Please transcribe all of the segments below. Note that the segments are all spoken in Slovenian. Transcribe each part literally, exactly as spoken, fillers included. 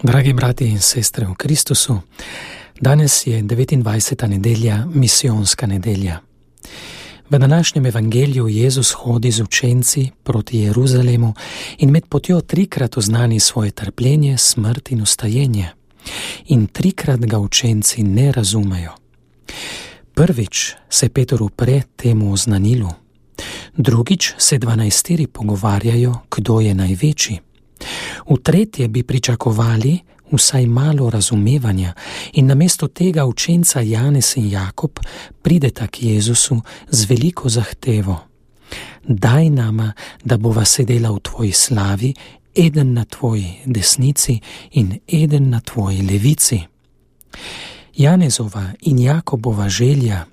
Dragi brati in sestre v Kristusu, danes je devetindvajseta nedelja, misijonska nedelja. V današnjem evangeliju Jezus hodi z učenci proti Jeruzalemu in med potjo trikrat oznani svoje trpljenje, smrt in ustajenje. In trikrat ga učenci ne razumejo. Prvič se Peter upre temu oznanilu. Drugič se dvanajsteri pogovarjajo, kdo je največji. V tretje bi pričakovali vsaj malo razumevanja in namesto tega učenca Janez in Jakob prideta k Jezusu z veliko zahtevo. Daj nama, da bova sedela v tvoji slavi, eden na tvoji desnici in eden na tvoji levici. Janezova in Jakobova želja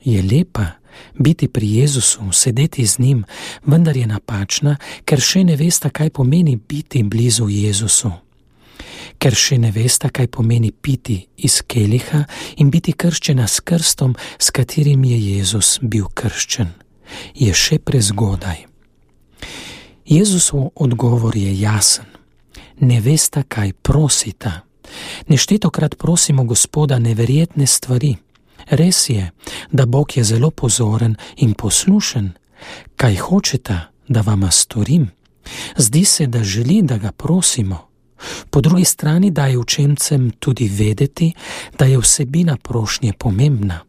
je lepa, biti pri Jezusu, sedeti z njim, vendar je napačna, ker še ne vesta, kaj pomeni biti blizu Jezusu. Ker še ne vesta, kaj pomeni piti iz keliha in biti krščena s krstom, s katerim je Jezus bil krščen. Je še prezgodaj. Jezusov odgovor je jasen. Ne vesta, kaj prosita. Neštetokrat prosimo Gospoda neverjetne stvari. Res je, da Bog je zelo pozoren in poslušen. Kaj hočeta, da vama storim? Zdi se, da želi, da ga prosimo. Po drugi strani daje učencem tudi vedeti, da je vsebina prošnje pomembna.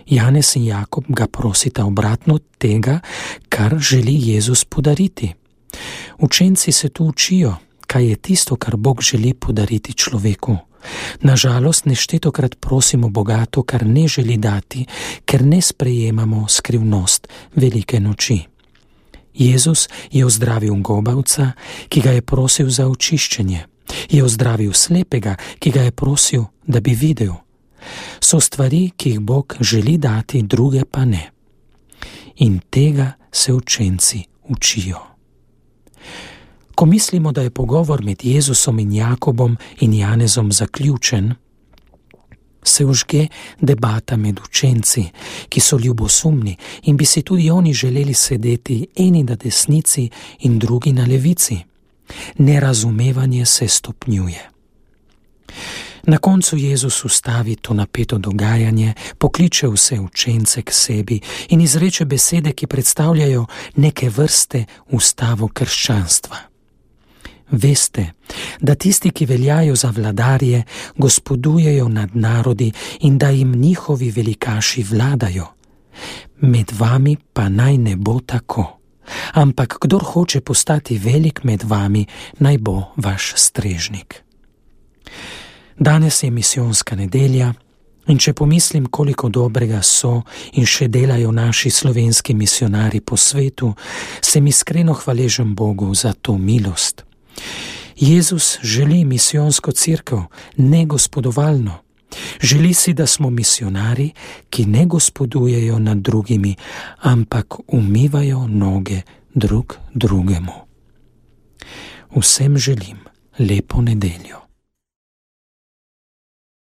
Janez in Jakob ga prosita obratno tega, kar želi Jezus podariti. Učenci se tu učijo, kaj je tisto, kar Bog želi podariti človeku. Nažalost, neštetokrat prosimo Boga to, kar ne želi dati, ker ne sprejemamo skrivnost velike noči. Jezus je ozdravil gobavca, ki ga je prosil za očiščenje. Je ozdravil slepega, ki ga je prosil, da bi videl. So stvari, ki jih Bog želi dati, druge pa ne. In tega se učenci učijo. Ko mislimo, da je pogovor med Jezusom in Jakobom in Janezom zaključen, se užge debata med učenci, ki so ljubosumni in bi si tudi oni želeli sedeti eni na desnici in drugi na levici. Nerazumevanje se stopnjuje. Na koncu Jezus ustavi to napeto dogajanje, pokliče vse učence k sebi in izreče besede, ki predstavljajo neke vrste ustavo krščanstva. Veste, da tisti, ki veljajo za vladarje, gospodujejo nad narodi in da jim njihovi velikaši vladajo. Med vami pa naj ne bo tako, ampak kdor hoče postati velik med vami, naj bo vaš strežnik. Danes je misijonska nedelja in če pomislim, koliko dobrega so in še delajo naši slovenski misionari po svetu, sem iskreno hvaležen Bogu za to milost. Jezus želi misijonsko cerkev, ne gospodovalno. Želi si, da smo misionari, ki ne gospodujejo nad drugimi, ampak umivajo noge drug drugemu. Vsem želim lepo nedeljo.